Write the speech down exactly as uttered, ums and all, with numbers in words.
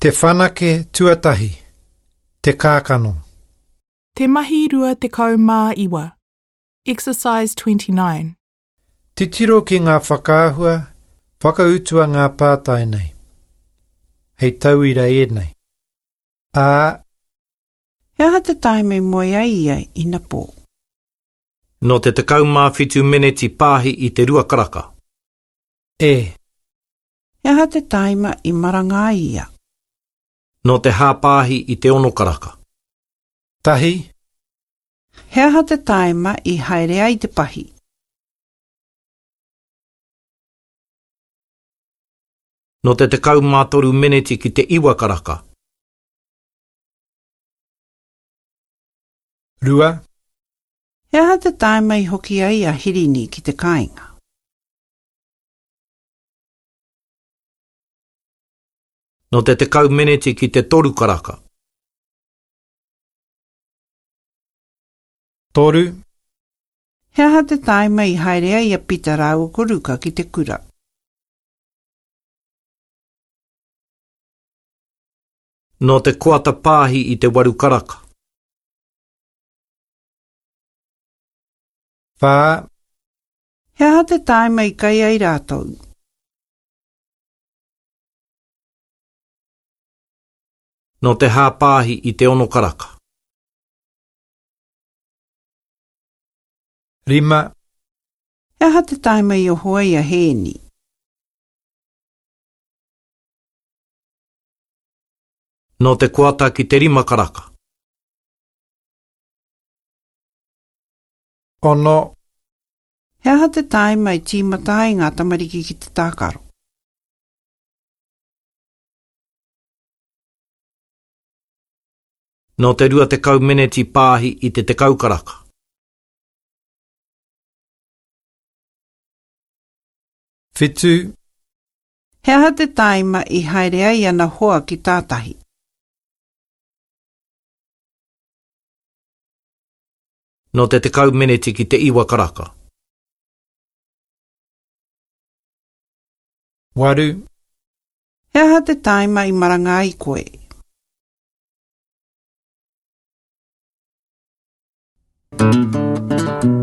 Te whanake tuatahi, te kākano. Te mahi rua tekau mā iwa. Exercise twenty-nine. Titiro ki ngā whakaahua, whakautua ngā pātai nei. Hei tauira ēnei. A. He aha te taima i moe ai ia inapō? Nō te tekau mā whitu meneti pāhi i te rua karaka. E. He aha te taima i maranga ai ia? Nō te hāpāhi i te ono karaka. Tahi. He aha te taima i haere ai te pahi? Nō te tekau mā toru meneti ki te iwa karaka. Rua. He aha te taima i hoki ai a Hirini ki te kāinga? Nō te tekau meneti ki te toru karaka. Toru. He aha te taima i haere ai a Pita rāua ko Ruka ki te kura? Nō te koata pāhi i te waru karaka. Whā. He aha te taima i kai ai rātou? Nō te hāpāhi i te ono karaka. Rima. He aha te taima i oho ai a Hēni? Nō te koata ki te rima karaka. Ono. He aha te taima i tīmata ai ngā tamariki ki te tākaro? Nō te rua tekau meneti pāhi i te tekau karaka. Whitu. He aha te taima i haere ai ana hoa ki tātahi? Nō te tekau meneti ki te iwa karaka. Waru. He aha te taima i maranga ai koe? Thank you.